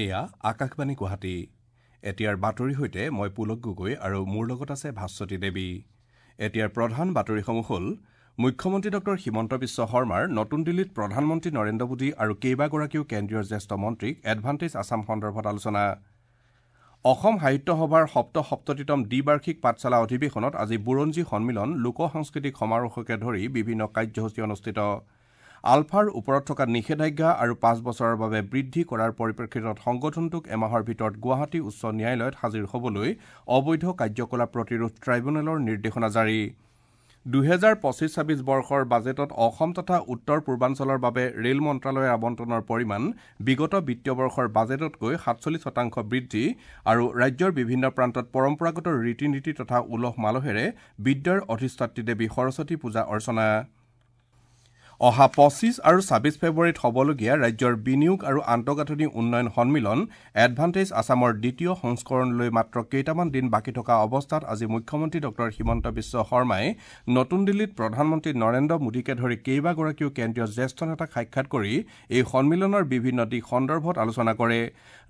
এয়া আকাশবাণী গুৱাহাটী। এতিয়াৰ বাতৰিৰ সৈতে মই পুলক গগৈ আৰু মোৰ লগত আছে ভাস্বতী দেৱী। এতিয়াৰ প্ৰধান বাতৰিসমূহ হ'ল মুখ্যমন্ত্ৰী ডক্টৰ হিমন্ত বিশ্ব শৰ্মাৰ নতুন দিল্লীত প্ৰধানমন্ত্ৰী নৰেন্দ্ৰ মোদী আৰু কেইবাগৰাকীও কেন্দ্ৰীয় জ্যেষ্ঠ মন্ত্ৰীক এডভান্টেজ আছাম সন্দৰ্ভত আলোচনা। অসম সাহিত্য সভাৰ ৭৭তম দ্বিবাৰ্ষিক পাঠশালা অধিৱেশনত আজি বুৰঞ্জী সন্মিলন, লোক সাংস্কৃতিক সমাৰোহকে ধৰি বিভিন্ন কাৰ্যসূচী অনুষ্ঠিত। আলফাৰ ওপৰত থকা নিষেধাজ্ঞা আৰু ৫ বছৰৰ বাবে বৃদ্ধি কৰাৰ পৰিপ্ৰেক্ষিতত সংগঠনটোক এমাহৰ ভিতৰত গুৱাহাটী উচ্চ ন্যায়ালয়ত হাজিৰ হ'বলৈ অবৈধ কাৰ্যকলাপ প্ৰতিৰোধ ট্ৰাইব্যুনেলৰ নিৰ্দেশনা জাৰি। ২০২৫-২৬ বৰ্ষৰ বাজেটত অসম তথা উত্তৰ পূৰ্বাঞ্চলৰ বাবে ৰেল মন্ত্ৰালয়ৰ আবণ্টনৰ পৰিমাণ বিগত বিত্তীয় বৰ্ষৰ বাজেটতকৈ ৪৭% বৃদ্ধি আৰু ৰাজ্যৰ বিভিন্ন প্ৰান্তত পৰম্পৰাগত ৰীতি নীতি তথা উলহ মালহেৰে বিদ্যাৰ অধিষ্ঠাত্ৰী দেৱী সৰস্বতী পূজা অৰ্চনা। অহা ২৫ আৰু ২৬ ফেব্ৰুৱাৰীত হ'বলগীয়া ৰাজ্যৰ বিনিয়োগ আৰু আন্তঃগাঁথনি উন্নয়ন সন্মিলন এডভান্টেজ আছামৰ দ্বিতীয় সংস্কৰণলৈ মাত্ৰ কেইটামান দিন বাকী থকা অৱস্থাত আজি মুখ্যমন্ত্ৰী ডক্টৰ হিমন্ত বিশ্ব শৰ্মাই নতুন দিল্লীত প্ৰধানমন্ত্ৰী নৰেন্দ্ৰ মোদীকে ধৰি কেইবাগৰাকীও কেন্দ্ৰীয় জ্যেষ্ঠ নেতাক সাক্ষাৎ কৰি এই সন্মিলনৰ বিভিন্ন দিশ সন্দৰ্ভত আলোচনা কৰে।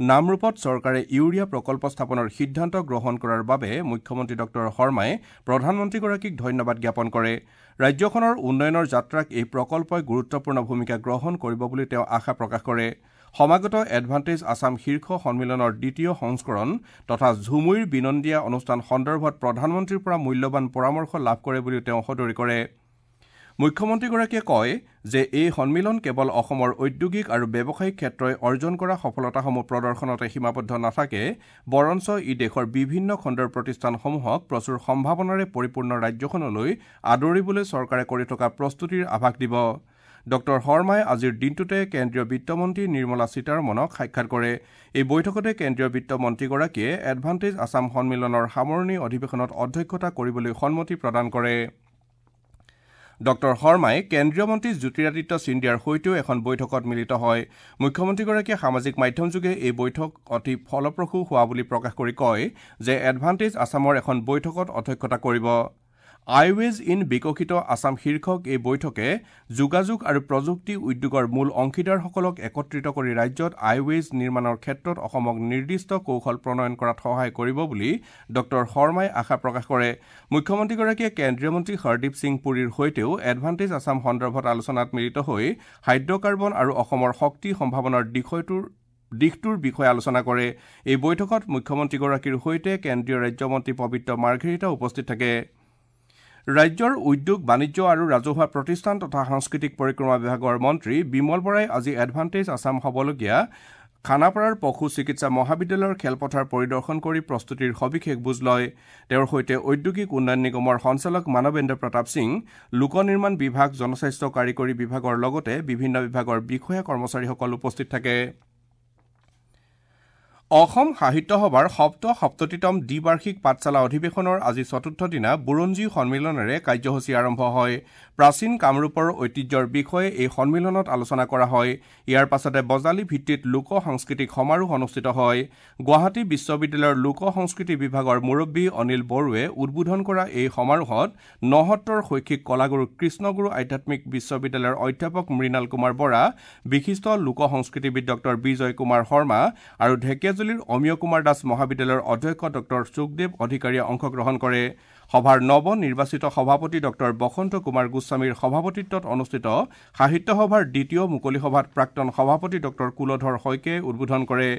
নামৰূপত চৰকাৰে ইউৰিয়া প্ৰকল্প স্থাপনৰ সিদ্ধান্ত গ্ৰহণ কৰাৰ বাবে মুখ্যমন্ত্ৰী ডক্টৰ শৰ্মাই প্ৰধানমন্ত্ৰীগৰাকীক ধন্যবাদ জ্ঞাপন কৰে। ৰাজ্যখনৰ উন্নয়নৰ যাত্ৰাক এই প্ৰকল্পই গুৰুত্বপূৰ্ণ ভূমিকা গ্ৰহণ কৰিব বুলি তেওঁ আশা প্ৰকাশ কৰে। সমাগত এডভান্টেজ আছাম শীৰ্ষ সন্মিলনৰ দ্বিতীয় সংস্কৰণ তথা ঝুমুইৰ বিনন্দীয়া অনুষ্ঠান সন্দৰ্ভত প্ৰধানমন্ত্ৰীৰ পৰা মূল্যৱান পৰামৰ্শ লাভ কৰে বুলিও তেওঁ সদৰি কৰে। মুখ্যমন্ত্ৰীগৰাকীয়ে কয় যে এই সন্মিলন কেৱল অসমৰ ঔদ্যোগিক আৰু ব্যৱসায়িক ক্ষেত্ৰই অৰ্জন কৰা সফলতাসমূহ প্ৰদৰ্শনতে সীমাবদ্ধ নাথাকে, বৰঞ্চ ই দেশৰ বিভিন্ন খণ্ডৰ প্ৰতিষ্ঠানসমূহক প্ৰচুৰ সম্ভাৱনাৰে পৰিপূৰ্ণ ৰাজ্যখনলৈ আদৰিবলৈ চৰকাৰে কৰি থকা প্ৰস্তুতিৰ আভাস দিব। ডক্টৰ শৰ্মাই আজিৰ দিনটোতে কেন্দ্ৰীয় বিত্তমন্ত্ৰী নিৰ্মলা সীতাৰমণক সাক্ষাৎ কৰে। এই বৈঠকতে কেন্দ্ৰীয় বিত্তমন্ত্ৰীগৰাকীয়ে এডভান্টেজ আছাম সন্মিলনৰ সামৰণি অধিৱেশনত অধ্যক্ষতা কৰিবলৈ সন্মতি প্ৰদান কৰে। ডক্টৰ শৰ্মাই কেন্দ্ৰীয় মন্ত্ৰী জ্যোতিৰাদিত্য সিন্ধিয়াৰ সৈতেও এখন বৈঠকত মিলিত হয়। মুখ্যমন্ত্ৰীগৰাকীয়ে সামাজিক মাধ্যমযোগে এই বৈঠক অতি ফলপ্ৰসূ হোৱা বুলি প্ৰকাশ কৰি কয় যে এডভান্টেজ আছামৰ এখন বৈঠকত অধ্যক্ষতা কৰিব। আইৱেজ ইন বিকশিত আছাম শীৰ্ষক এই বৈঠকে যোগাযোগ আৰু প্ৰযুক্তি উদ্যোগৰ মূল অংশীদাৰসকলক একত্ৰিত কৰি ৰাজ্যত আইৱেজ নিৰ্মাণৰ ক্ষেত্ৰত অসমক নিৰ্দিষ্ট কৌশল প্ৰণয়ন কৰাত সহায় কৰিব বুলি ডক্টৰ শৰ্মাই আশা প্ৰকাশ কৰে। মুখ্যমন্ত্ৰীগৰাকীয়ে কেন্দ্ৰীয় মন্ত্ৰী হৰদীপ সিং পুৰীৰ সৈতেও এডভান্টেজ আছাম সন্দৰ্ভত আলোচনাত মিলিত হৈ হাইড্ৰকাৰ্বন আৰু অসমৰ শক্তি সম্ভাৱনাৰ দিশটোৰ বিষয়ে আলোচনা কৰে। এই বৈঠকত মুখ্যমন্ত্ৰীগৰাকীৰ সৈতে কেন্দ্ৰীয় ৰাজ্যমন্ত্ৰী পবিত্ৰ মাৰ্ঘেৰিটা উপস্থিত থাকে। ৰাজ্যৰ উদ্যোগ, বাণিজ্য আৰু ৰাজহুৱা প্ৰতিষ্ঠান তথা সাংস্কৃতিক পৰিক্ৰমা বিভাগৰ মন্ত্ৰী বিমল বৰাই আজি এডভান্টেজ আছাম হ'বলগীয়া খানাপাৰাৰ পশু চিকিৎসা মহাবিদ্যালয়ৰ খেলপথাৰ পৰিদৰ্শন কৰি প্ৰস্তুতিৰ সবিশেষ বুজ লয়। তেওঁৰ সৈতে ঔদ্যোগিক উন্নয়ন নিগমৰ সঞ্চালক মানৱেন্দ্ৰ প্ৰতাপ সিং, লোক নিৰ্মাণ বিভাগ, জনস্বাস্থ্য কাৰিকৰী বিভাগৰ লগতে বিভিন্ন বিভাগৰ বিষয়া কৰ্মচাৰীসকল উপস্থিত থাকে। অসম সাহিত্য সভাৰ ৭৭তম দ্বিবাৰ্ষিক পাঠশালা অধিৱেশনৰ আজি চতুৰ্থ দিনা বুৰঞ্জী সন্মিলনেৰে কাৰ্যসূচী আৰম্ভ হয়। প্ৰাচীন কামৰূপৰ ঐতিহ্যৰ বিষয়ে এই সন্মিলনত আলোচনা কৰা হয়। ইয়াৰ পাছতে বজালী ভিত্তিত লোক সাংস্কৃতিক সমাৰোহ অনুষ্ঠিত হয়। গুৱাহাটী বিশ্ববিদ্যালয়ৰ লোক সংস্কৃতি বিভাগৰ মুৰব্বী অনিল বড়োৱে উদ্বোধন কৰা এই সমাৰোহত নসত্ৰৰ শৈক্ষিক কলাগুৰু কৃষ্ণগুৰু আধ্যাত্মিক বিশ্ববিদ্যালয়ৰ অধ্যাপক মৃণাল কুমাৰ বৰা, বিশিষ্ট লোক সংস্কৃতিবিদ ডক্টৰ বিজয় কুমাৰ শৰ্মা আৰু ঢেকীয়াজুলি অমিয় কুমাৰ দাস মহাবিদ্যালয়ৰ অধ্যক্ষ ডক্টৰ সুখদেৱ অধিকাৰীয়ে অংশগ্ৰহণ কৰে। সভাৰ নৱ নিৰ্বাচিত সভাপতি ডক্টৰ বসন্ত কুমাৰ গোস্বামীৰ সভাপতিত্বত অনুষ্ঠিত সাহিত্য সভাৰ দ্বিতীয় মুকলি সভাত প্ৰাক্তন সভাপতি ডক্টৰ কুলধৰ শইকীয়াই উদ্বোধন কৰে।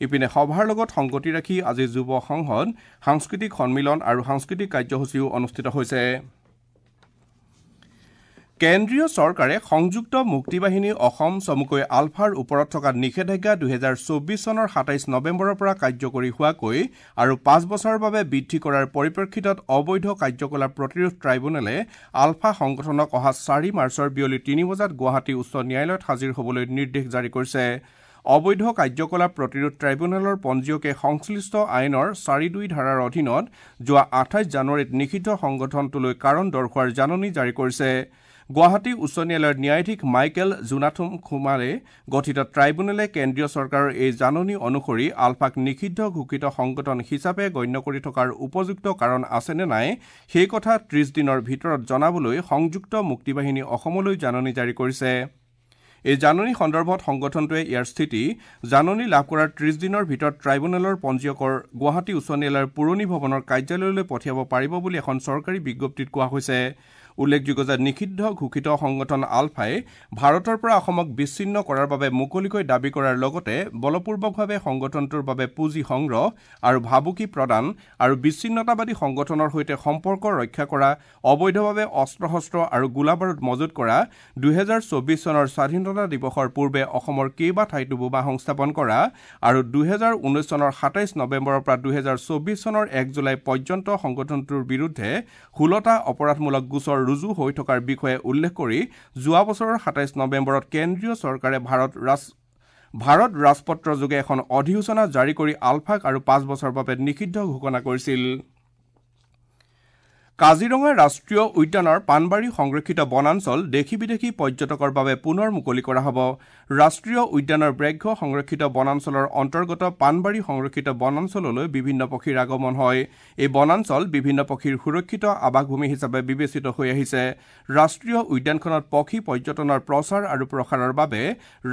ইপিনে সভাৰ লগত সংগতি ৰাখি আজি যুৱ সংসদ, সাংস্কৃতিক সন্মিলন আৰু সাংস্কৃতিক কাৰ্যসূচীও অনুষ্ঠিত হৈছে। কেন্দ্ৰীয় চৰকাৰে সংযুক্ত মুক্তি বাহিনী অসম চমুকৈ আলফাৰ ওপৰত থকা নিষেধাজ্ঞা ২০২৪ চনৰ ২৭ নৱেম্বৰৰ পৰা কাৰ্যকৰী হোৱাকৈ আৰু ৫ বছৰৰ বাবে বৃদ্ধি কৰাৰ পৰিপ্ৰেক্ষিতত অবৈধ কাৰ্যকলাপ প্ৰতিৰোধ ট্ৰাইব্যুনেলে আলফা সংগঠনক অহা ৪ মাৰ্চৰ বিয়লি ৩ বজাত গুৱাহাটী উচ্চ ন্যায়ালয়ত হাজিৰ হ'বলৈ নিৰ্দেশ জাৰি কৰিছে। অবৈধ কাৰ্যকলাপ প্ৰতিৰোধ ট্ৰাইব্যুনেলৰ পঞ্জীয়কে সংশ্লিষ্ট আইনৰ ৪-২ ধাৰাৰ অধীনত যোৱা ২৮ জানুৱাৰীত নিষিদ্ধ সংগঠনটোলৈ কাৰণ দৰ্শোৱাৰ জাননী জাৰি কৰিছে। গুৱাহাটী উচ্চ ন্যায়ালয়ৰ ন্যায়াধীশ মাইকেল জোনাথন কুমাৰে গঠিত ট্ৰাইব্যুনেলে কেন্দ্ৰীয় চৰকাৰৰ এই জাননী অনুসৰি আলফাক নিষিদ্ধ ঘোষিত সংগঠন হিচাপে গণ্য কৰি থকাৰ উপযুক্ত কাৰণ আছে নে নাই সেই কথা ৩০ দিনৰ ভিতৰত জনাবলৈ সংযুক্ত মুক্তি বাহিনী অসমলৈ জাননী জাৰি কৰিছে। এই জাননী সন্দৰ্ভত সংগঠনটোৱে ইয়াৰ স্থিতি জাননী লাভ কৰাৰ ৩০ দিনৰ ভিতৰত ট্ৰাইব্যুনেলৰ পঞ্জীয়কৰ গুৱাহাটী উচ্চ ন্যায়ালয়ৰ পুৰণি ভৱনৰ কাৰ্যালয়লৈ পঠিয়াব পাৰিব বুলি এখন চৰকাৰী বিজ্ঞপ্তিত কোৱা হৈছে। উল্লেখযোগ্য যে নিষিদ্ধ ঘোষিত সংগঠন আলফাই ভাৰতৰ পৰা অসমক বিচ্ছিন্ন কৰাৰ বাবে মুকলিকৈ দাবী কৰাৰ লগতে বলপূৰ্বকভাৱে সংগঠনটোৰ বাবে পুঁজি সংগ্ৰহ আৰু ভাবুকি প্ৰদান আৰু বিচ্ছিন্নতাবাদী সংগঠনৰ সৈতে সম্পৰ্ক ৰক্ষা কৰা, অবৈধভাৱে অস্ত্ৰ শস্ত্ৰ আৰু গোলাবাৰুদ মজুত কৰা, ২০২৪ চনৰ স্বাধীনতা দিৱসৰ পূৰ্বে অসমৰ কেইবা ঠাইতো বোমা সংস্থাপন কৰা আৰু ২০১৯ চনৰ ২৭ নৱেম্বৰৰ পৰা ২০২৪ চনৰ ১ জুলাই পৰ্যন্ত সংগঠনটোৰ বিৰুদ্ধে ১৬টা অপৰাধমূলক গোচৰ ৰুজু হৈ থকাৰ বিষয়ে উল্লেখ কৰি যোৱা বছৰৰ ২৭ নৱেম্বৰত কেন্দ্ৰীয় চৰকাৰে ভাৰত ৰাজপত্ৰ যোগে এখন অধিসূচনা জাৰি কৰি আলফাক আৰু ৫ বছৰৰ বাবে নিষিদ্ধ ঘোষণা কৰিছিল। কাজিৰঙা ৰাষ্ট্ৰীয় উদ্যানৰ পাণবাৰী সংৰক্ষিত বনাঞ্চল দেশী বিদেশী পৰ্যটকৰ বাবে পুনৰ মুকলি কৰা হ'ব। ৰাষ্ট্ৰীয় উদ্যানৰ ব্যাঘ্ৰ সংৰক্ষিত বনাঞ্চলৰ অন্তৰ্গত পাণবাৰী সংৰক্ষিত বনাঞ্চললৈ বিভিন্ন পক্ষীৰ আগমন হয়। এই বনাঞ্চল বিভিন্ন পক্ষীৰ সুৰক্ষিত আৱাসভূমি হিচাপে বিবেচিত হৈ আহিছে। ৰাষ্ট্ৰীয় উদ্যানখনত পক্ষী পৰ্যটনৰ প্ৰচাৰ আৰু প্ৰসাৰৰ বাবে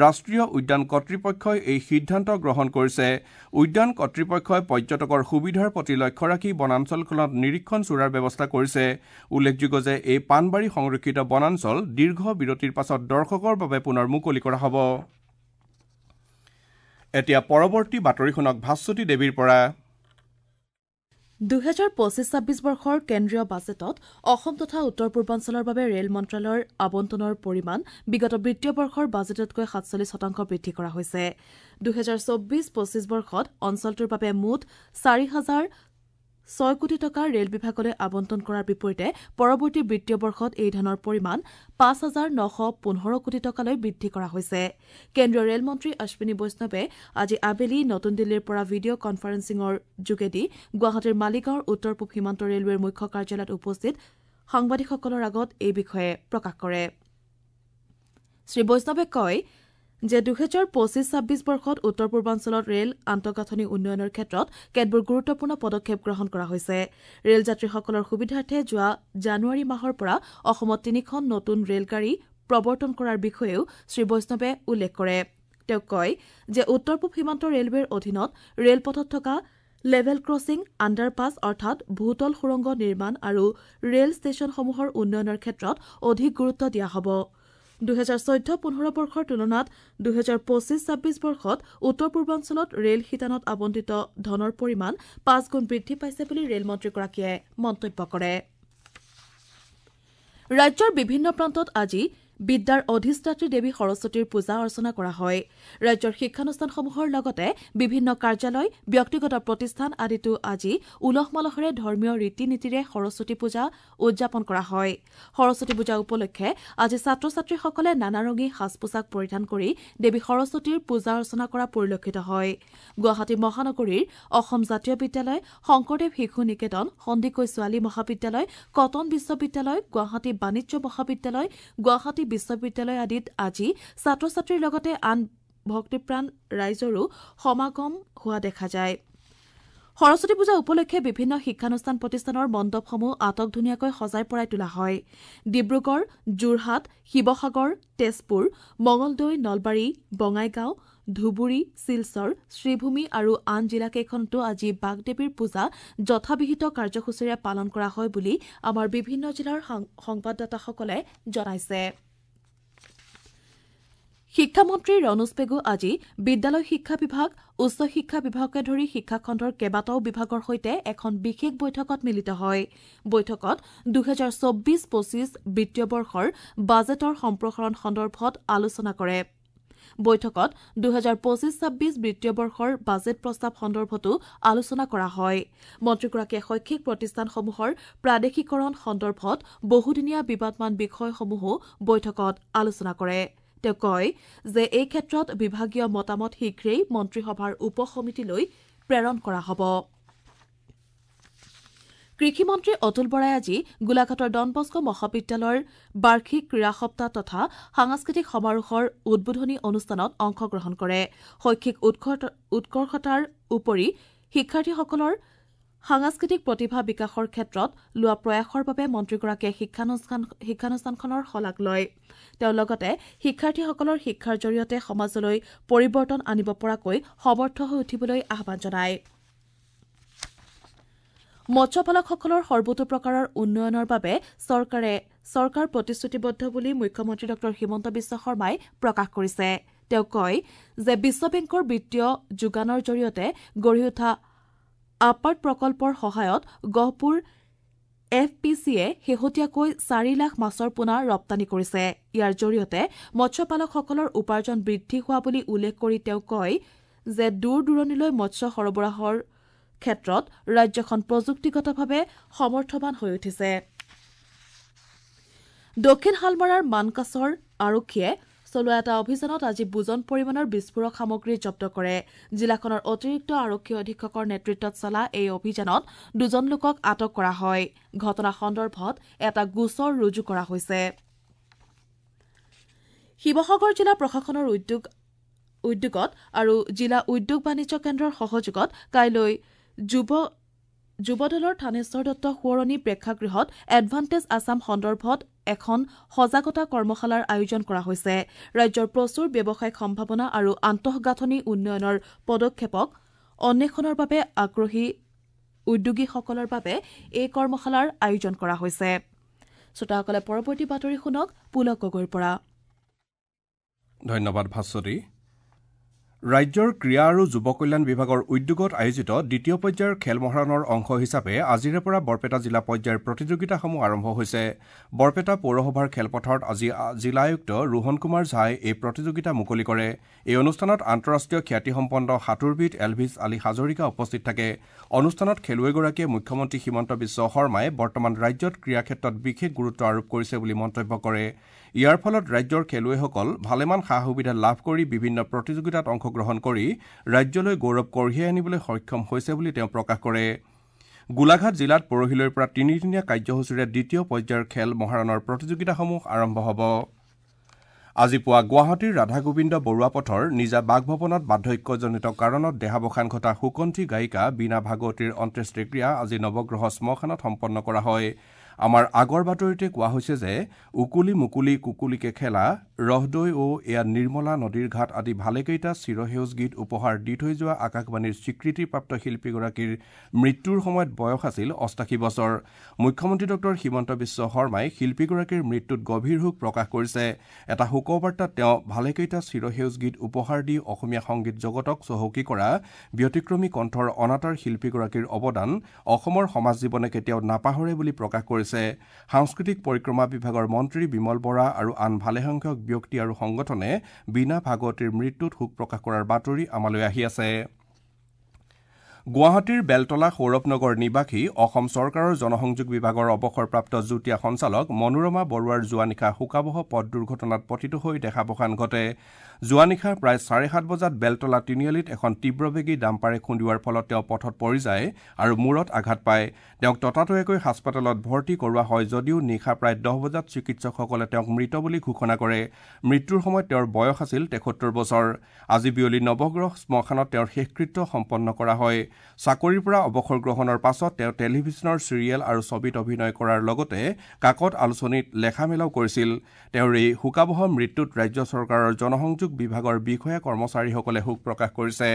ৰাষ্ট্ৰীয় উদ্যান কৰ্তৃপক্ষই এই সিদ্ধান্ত গ্ৰহণ কৰিছে। উদ্যান কৰ্তৃপক্ষই পৰ্যটকৰ সুবিধাৰ প্ৰতি লক্ষ্য ৰাখি বনাঞ্চলখনত নিৰীক্ষণ চোৰাৰ ব্যৱস্থা কৰিছে। উল্লেখযোগ্য যে এই পাণবাৰী সংৰক্ষিত বনাঞ্চল দীৰ্ঘ বিৰতিৰ পাছত দৰ্শকৰ বাবে পুনৰ মুকলি কৰা হ'ব। এতিয়া পৰৱৰ্তী বাতৰি শুনক ভাস্বতী দেৱীৰ পৰা। ২০২৫-২৬ বৰ্ষৰ কেন্দ্ৰীয় বাজেটত অসম তথা উত্তৰ পূৰ্বাঞ্চলৰ বাবে ৰেল মন্ত্ৰালয়ৰ আবণ্টনৰ পৰিমাণ বিগত বিত্তীয় বৰ্ষৰ বাজেটতকৈ ৪৭% বৃদ্ধি কৰা হৈছে। ২০২৪-২৫ বৰ্ষত অঞ্চলটোৰ বাবে মুঠ ৪,০০৬ কোটি টকা ৰেল বিভাগলৈ আবণ্টন কৰাৰ বিপৰীতে পৰৱৰ্তী বিত্তীয় বৰ্ষত এই ধনৰ পৰিমাণ ৫,৯১৫ কোটি টকালৈ বৃদ্ধি কৰা হৈছে। কেন্দ্ৰীয় ৰেল মন্ত্ৰী অশ্বিনী বৈষ্ণৱে আজি আবেলি নতুন দিল্লীৰ পৰা ভিডিঅ' কনফাৰেন্সিঙৰ যোগেদি গুৱাহাটীৰ মালিগাঁৱৰ উত্তৰ পূব সীমান্ত ৰেলৱেৰ মুখ্য কাৰ্যালয়ত উপস্থিত সাংবাদিকসকলৰ আগত এই বিষয়ে প্ৰকাশ কৰে। শ্ৰী বৈষ্ণৱে কয় যে ২০২৫-২৬ বৰ্ষত উত্তৰ পূৰ্বাঞ্চলত ৰেল আন্তঃগাঁথনি উন্নয়নৰ ক্ষেত্ৰত কেতবোৰ গুৰুত্বপূৰ্ণ পদক্ষেপ গ্ৰহণ কৰা হৈছে। ৰেল যাত্ৰীসকলৰ সুবিধাৰ্থে যোৱা জানুৱাৰী মাহৰ পৰা অসমত ৩খন নতুন ৰেলগাড়ী প্ৰৱৰ্তন কৰাৰ বিষয়েও শ্ৰী বৈষ্ণৱে উল্লেখ কৰে। তেওঁ কয় যে উত্তৰ পূব সীমান্ত ৰেলৱেৰ অধীনত ৰেলপথত থকা লেভেল ক্ৰছিং, আণ্ডাৰপাছ অৰ্থাৎ ভূতল সুৰংগ নিৰ্মাণ আৰু ৰেল ষ্টেচনসমূহৰ উন্নয়নৰ ক্ষেত্ৰত অধিক গুৰুত্ব দিয়া হ'ব। ২০১৪-১৫ বৰ্ষৰ তুলনাত ২০২৫-২৬ বৰ্ষত উত্তৰ পূৰ্বাঞ্চলত ৰেল শিতানত আবণ্টিত ধনৰ পৰিমাণ ৫ গুণ বৃদ্ধি পাইছে বুলি ৰেল মন্ত্ৰীগৰাকীয়ে মন্তব্য কৰে। ৰাজ্যৰ বিভিন্ন প্ৰান্তত আজি বিদ্যাৰ অধিষ্ঠাত্ৰী দেৱী সৰস্বতীৰ পূজা অৰ্চনা কৰা হয়। ৰাজ্যৰ শিক্ষানুষ্ঠানসমূহৰ লগতে বিভিন্ন কাৰ্যালয়, ব্যক্তিগত প্ৰতিষ্ঠান আদিতো আজি উলহ মালহেৰে ধৰ্মীয় ৰীতি নীতিৰে সৰস্বতী পূজা উদযাপন কৰা হয়। সৰস্বতী পূজা উপলক্ষে আজি ছাত্ৰ ছাত্ৰীসকলে নানাৰঙী সাজ পোছাক পৰিধান কৰি দেৱী সৰস্বতীৰ পূজা অৰ্চনা কৰা পৰিলক্ষিত হয়। গুৱাহাটী মহানগৰীৰ অসম জাতীয় বিদ্যালয়, শংকৰদেৱ শিশু নিকেতন, সন্দিকৈ ছোৱালী মহাবিদ্যালয়, কটন বিশ্ববিদ্যালয়, গুৱাহাটী বাণিজ্য মহাবিদ্যালয়, গুৱাহাটী বিশ্ববিদ্যালয় আদিত আজি ছাত্ৰ ছাত্ৰীৰ লগতে আন ভক্তিপ্ৰাণ ৰাইজৰো সমাগম হোৱা দেখা যায়। সৰস্বতী পূজা উপলক্ষে বিভিন্ন শিক্ষানুষ্ঠান প্ৰতিষ্ঠানৰ মণ্ডপসমূহ আটক ধুনীয়াকৈ সজাই পৰাই তোলা হয়। ডিব্ৰুগড়, যোৰহাট, শিৱসাগৰ, তেজপুৰ, মঙলদৈ, নলবাৰী, বঙাইগাঁও, ধুবুৰী, শিলচৰ, শ্ৰীভূমি আৰু আন জিলাকেইখনতো আজি বাগদেৱীৰ পূজা যথাবিহিত কাৰ্যসূচীৰে পালন কৰা হয় বুলি আমাৰ বিভিন্ন জিলাৰ সংবাদদাতাসকলে জনাইছে। শিক্ষামন্ত্ৰী ৰণোজ পেগু আজি বিদ্যালয় শিক্ষা বিভাগ, উচ্চ শিক্ষা বিভাগকে ধৰি শিক্ষাখণ্ডৰ কেইবাটাও বিভাগৰ সৈতে এখন বিশেষ বৈঠকত মিলিত হয়। বৈঠকত ২০২৪-২৫ বিত্তীয় বৰ্ষৰ বাজেটৰ সম্প্ৰসাৰণ সন্দৰ্ভত আলোচনা কৰে। বৈঠকত ২০২৫-২৬ বিত্তীয় বৰ্ষৰ বাজেট প্ৰস্তাৱ সন্দৰ্ভতো আলোচনা কৰা হয়। মন্ত্ৰীগৰাকীয়ে শৈক্ষিক প্ৰতিষ্ঠানসমূহৰ প্ৰাদেশিকৰণ সন্দৰ্ভত বহুদিনীয়া বিবাদমান বিষয়সমূহো বৈঠকত আলোচনা কৰে। তেওঁ কয় যে এই ক্ষেত্ৰত বিভাগীয় মতামত শীঘ্ৰেই মন্ত্ৰীসভাৰ উপ সমিতিলৈ প্ৰেৰণ কৰা হ'ব। কৃষিমন্ত্ৰী অতুল বৰাই আজি গোলাঘাটৰ ডনবস্কো মহাবিদ্যালয়ৰ বাৰ্ষিক ক্ৰীড়া সপ্তাহ তথা সাংস্কৃতিক সমাৰোহৰ উদ্বোধনী অনুষ্ঠানত অংশগ্ৰহণ কৰে। শৈক্ষিক উৎকৰ্ষতাৰ উপৰি শিক্ষাৰ্থীসকলৰ সাংস্কৃতিক প্ৰতিভা বিকাশৰ ক্ষেত্ৰত লোৱা প্ৰয়াসৰ বাবে মন্ত্ৰীগৰাকীয়ে শিক্ষানুষ্ঠানখনৰ শলাগ লয়। তেওঁ লগতে শিক্ষাৰ্থীসকলৰ শিক্ষাৰ জৰিয়তে সমাজলৈ পৰিৱৰ্তন আনিব পৰাকৈ সমৰ্থ হৈ উঠিবলৈ আহ্বান জনায়। মৎস্যপালকসকলৰ সৰ্বতোপ্ৰকাৰৰ উন্নয়নৰ বাবে চৰকাৰ প্ৰতিশ্ৰুতিবদ্ধ বুলি মুখ্যমন্ত্ৰী ডঃ হিমন্ত বিশ্ব শৰ্মাই প্ৰকাশ কৰিছে। তেওঁ কয় যে বিশ্ব বেংকৰ বিত্তীয় যোগানৰ জৰিয়তে গঢ়ি উঠা আপাৰ্ট প্ৰকল্পৰ সহায়ত গহপুৰ এফ পি চিয়ে শেহতীয়াকৈ 4 লাখ মাছৰ পোনা ৰপ্তানি কৰিছে। ইয়াৰ জৰিয়তে মৎস্যপালকসকলৰ উপাৰ্জন বৃদ্ধি হোৱা বুলি উল্লেখ কৰি তেওঁ কয় যে দূৰ দূৰণিলৈ মৎস্য সৰবৰাহৰ ক্ষেত্ৰত ৰাজ্যখন প্ৰযুক্তিগতভাৱে সমৰ্থবান হৈ উঠিছে। দক্ষিণ শালমাৰাৰ মানকাছৰ আৰক্ষীয়ে চলোৱা এটা অভিযানত আজি বুজন পৰিমাণৰ বিস্ফোৰক সামগ্ৰী জব্দ কৰে। জিলাখনৰ অতিৰিক্ত আৰক্ষী অধীক্ষকৰ নেতৃত্বত চলা এই অভিযানত 2জন লোকক আটক কৰা হয়। ঘটনা সন্দৰ্ভত এটা গোচৰ ৰুজু কৰা হৈছে। শিৱসাগৰ জিলা প্ৰশাসনৰ উদ্যোগত আৰু জিলা উদ্যোগ বাণিজ্য কেন্দ্ৰৰ সহযোগত কাইলৈ যুৱ দলৰ থানেশ্বৰ দত্ত সোঁৱৰণী প্ৰেক্ষাগৃহত এডভান্টেজ আছাম সন্দৰ্ভত এখন সজাগতা কৰ্মশালাৰ আয়োজন কৰা হৈছে। ৰাজ্যৰ প্ৰচুৰ ব্যৱসায়িক সম্ভাৱনা আৰু আন্তঃগাঁথনি উন্নয়নৰ পদক্ষেপক অন্বেষণৰ বাবে আগ্ৰহী উদ্যোগীসকলৰ বাবে এই কৰ্মশালাৰ আয়োজন কৰা হৈছে। শ্ৰোতাসকলে পৰৱৰ্তী বাতৰি শুনক পুলক গগৈৰ পৰা। ধন্যবাদ ভাস্বতী। ৰাজ্যৰ ক্ৰীড়া আৰু যুৱ কল্যাণ বিভাগৰ উদ্যোগত আয়োজিত দ্বিতীয় পৰ্যায়ৰ খেল মহাৰণৰ অংশ হিচাপে আজিৰে পৰা বৰপেটা জিলা পৰ্যায়ৰ প্ৰতিযোগিতাসমূহ আৰম্ভ হৈছে। বৰপেটা পৌৰসভাৰ খেলপথাৰত আজি জিলা আয়ুক্ত ৰোহন কুমাৰ ঝাই এই প্ৰতিযোগিতা মুকলি কৰে। এই অনুষ্ঠানত আন্তঃৰাষ্ট্ৰীয় খ্যাতিসম্পন্ন সাঁতোৰবিদ এলভিছ আলী হাজৰিকা উপস্থিত থাকে। অনুষ্ঠানত খেলুৱৈগৰাকীয়ে মুখ্যমন্ত্ৰী হিমন্ত বিশ্ব শৰ্মাই বৰ্তমান ৰাজ্যত ক্ৰীড়া ক্ষেত্ৰত বিশেষ গুৰুত্ব আৰোপ কৰিছে বুলি মন্তব্য কৰে। ইয়াৰ ফলত ৰাজ্যৰ খেলুৱৈসকল ভালেমান সা সুবিধা লাভ কৰি বিভিন্ন প্ৰতিযোগিতাত অংশগ্ৰহণ কৰি ৰাজ্যলৈ গৌৰৱ কঢ়িয়াই আনিবলৈ সক্ষম হৈছে বুলি তেওঁ প্ৰকাশ কৰে। গোলাঘাট জিলাত পৰহিলৈৰ পৰা তিনিদিনীয়া কাৰ্যসূচীৰে দ্বিতীয় পৰ্যায়ৰ খেল মহাৰণৰ প্ৰতিযোগিতাসমূহ আৰম্ভ হ'ব। আজি পুৱা গুৱাহাটীৰ ৰাধাগোবিন্দ বৰুৱা পথৰ নিজা বাসভৱনত বাৰ্ধক্যজনিত কাৰণত দেহাৱসান ঘটা সুকণ্ঠী গায়িকা বীণা ভাগৱতীৰ অন্ত্যেষ্টিক্ৰিয়া আজি নৱগ্ৰহ শ্মশানত সম্পন্ন কৰা হয়। আমাৰ আগৰ বাতৰিতে কোৱা হৈছে যে উকুলি মুকুলি কুকুলিকে খেলা, ৰহদৈ অ এয়া নিৰ্মলা নদীৰ ঘাট আদি ভালেকেইটা চিৰসেউজ গীত উপহাৰ দি থৈ যোৱা আকাশবাণীৰ স্বীকৃতিপ্ৰাপ্ত শিল্পীগৰাকীৰ মৃত্যুৰ সময়ত বয়স আছিল 88 বছৰ। মুখ্যমন্ত্ৰী ডঃ হিমন্ত বিশ্ব শৰ্মাই শিল্পীগৰাকীৰ মৃত্যুত গভীৰ শোক প্ৰকাশ কৰিছে। এটা শোকবাৰ্তাত তেওঁ ভালেকেইটা চিৰসেউজ গীত উপহাৰ দি অসমীয়া সংগীত জগতক চহকী কৰা ব্যতিক্ৰমী কণ্ঠৰ অনাতাঁৰ শিল্পীগৰাকীৰ অৱদান অসমৰ সমাজ জীৱনে কেতিয়াও নাপাহৰে বুলি প্ৰকাশ কৰিছে। সাংস্কৃতিক পৰিক্ৰমা বিভাগৰ মন্ত্ৰী বিমল বৰা আৰু আন ভালেসংখ্যক ব্যক্তি আৰু সংগঠনে বীণা ভাগৱতীৰ মৃত্যুত শোক প্ৰকাশ কৰাৰ বাতৰি আমালৈ আহি আছে। গুৱাহাটীৰ বেলতলা সৌৰভনগৰ নিবাসী অসম চৰকাৰৰ জনসংযোগ বিভাগৰ অৱসৰপ্ৰাপ্ত যুটীয়া সঞ্চালক মনোৰমা বৰুৱাৰ যোৱা নিশা শোকাৱহ পথ দুৰ্ঘটনাত পতিত হৈ দেহাৱসান ঘটে। যোৱা নিশা প্ৰায় 7:30 বজাত বেলতলা তিনিআলিত এখন তীব্ৰবেগী ডাম্পাৰে খুন্দিওৱাৰ ফলত তেওঁ পথত পৰি যায় আৰু মূৰত আঘাত পায়। তেওঁক ততাতৈয়াকৈ হাস্পতালত ভৰ্তি কৰোৱা হয় যদিও নিশা প্ৰায় 10 বজাত চিকিৎসকসকলে তেওঁক মৃত বুলি ঘোষণা কৰে। মৃত্যুৰ সময়ত তেওঁৰ বয়স আছিল 73 বছৰ। আজি বিয়লি নৱগ্ৰহ শ্মশানত তেওঁৰ শেষকৃত্য সম্পন্ন কৰা হয়। চাকৰিৰ পৰা অৱসৰ গ্ৰহণৰ পাছত তেওঁ টেলিভিছনৰ চিৰিয়েল আৰু ছবিত অভিনয় কৰাৰ লগতে কাকত আলোচনীত লেখা মেলাও কৰিছিল। তেওঁৰ এই শোকাৱহ মৃত্যুত ৰাজ্য চৰকাৰৰ জনসংযোগ বিভাগৰ বিষয়া কৰ্মচাৰীসকলে শোক প্ৰকাশ কৰিছে।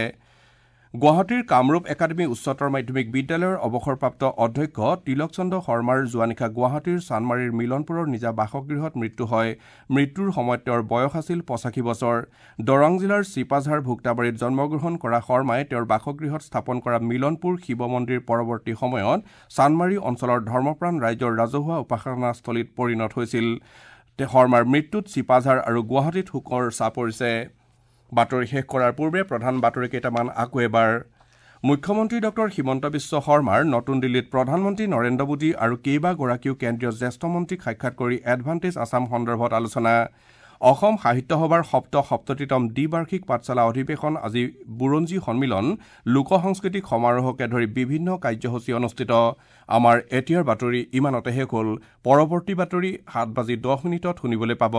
গুৱাহাটীৰ কামৰূপ একাডেমী উচ্চতৰ মাধ্যমিক বিদ্যালয়ৰ অৱসৰপ্ৰাপ্ত অধ্যক্ষ তিলক চন্দ্ৰ শৰ্মাৰ যোৱা নিশা গুৱাহাটীৰ চানমাৰীৰ মিলনপুৰৰ নিজা বাসগৃহত মৃত্যু হয়। মৃত্যুৰ সময়ত তেওঁৰ বয়স আছিল 85 বছৰ। দৰং জিলাৰ চিপাঝাৰ ভোক্তাবাৰীত জন্মগ্ৰহণ কৰা শৰ্মাই তেওঁৰ বাসগৃহত স্থাপন কৰা মিলনপুৰ শিৱ মন্দিৰ পৰৱৰ্তী সময়ত চানমাৰী অঞ্চলৰ ধৰ্মপ্ৰাণ ৰাইজৰ ৰাজহুৱা উপাসনাস্থলীত পৰিণত হৈছিল। শৰ্মাৰ মৃত্যুত চিপাঝাৰ আৰু গুৱাহাটীত শোকৰ ছাঁ পৰিছে। বাতৰি শেষ কৰাৰ পূৰ্বে প্ৰধান বাতৰি কেইটামান আকৌ এবাৰ। মুখ্যমন্ত্ৰী ডঃ হিমন্ত বিশ্ব শৰ্মাৰ নতুন দিল্লীত প্ৰধানমন্ত্ৰী নৰেন্দ্ৰ মোদী আৰু কেইবাগৰাকীও কেন্দ্ৰীয় জ্যেষ্ঠ মন্ত্ৰীক সাক্ষাৎ কৰি এডভান্টেজ আছাম সন্দৰ্ভত আলোচনা। অসম সাহিত্য সভাৰ ৭৭তম দ্বিবাৰ্ষিক পাঠশালা অধিৱেশন আজি বুৰঞ্জী সন্মিলন, লোক সাংস্কৃতিক সমাৰোহকে ধৰি বিভিন্ন কাৰ্যসূচী অনুষ্ঠিত। আমাৰ এতিয়াৰ বাতৰি ইমানতে শেষ হ'ল। পৰৱৰ্তী বাতৰি 7:10 শুনিবলৈ পাব।